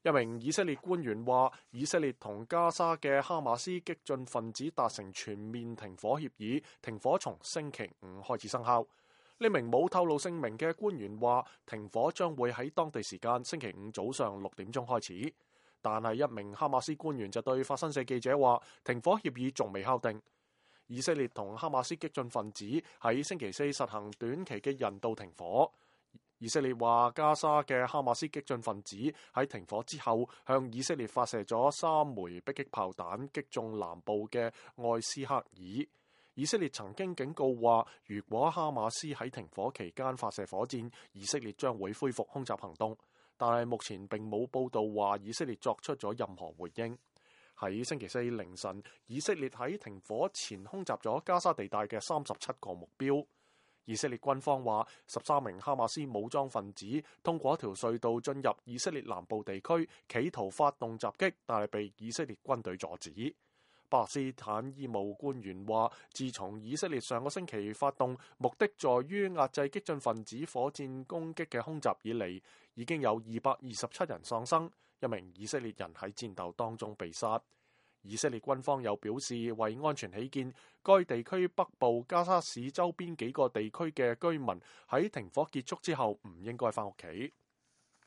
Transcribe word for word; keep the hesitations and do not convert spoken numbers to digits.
一名以色列官員話，以色列同加沙嘅哈馬斯激進分子達成全面停火協議，停火從星期五開始生效。呢名冇透露姓名嘅官員話，停火將會喺當地時間星期五早上六點鐘開始。但係一名哈馬斯官員就對法新社記者話，停火協議仲未敲定。以色列同哈馬斯激進分子喺星期四實行短期嘅人道停火。以色列話，加沙嘅哈馬斯激進分子喺停火之後向以色列發射咗三枚迫擊炮彈，擊中南部嘅艾斯克爾。以色列曾經警告話，如果哈馬斯喺停火期間發射火箭，以色列將會恢復空襲行動。但係目前並冇報道話以色列作出咗任何回應。喺星期四凌晨，以色列喺停火前空襲咗加沙地帶嘅三十七個目標。以色列軍方話，十三名哈馬斯武裝分子通過一條隧道進入以色列南部地區，企圖發動襲擊，但係被以色列軍隊阻止。巴勒斯坦醫務官員話，自從以色列上個星期發動目的在於壓制激進分子火箭攻擊嘅空襲以嚟，已經有二百二十七人喪生，一名以色列人喺戰鬥當中被殺。以色列軍方又表示，為安全起見，該地區北部加沙市周邊幾個地區嘅居民喺停火結束之後唔應該返屋企。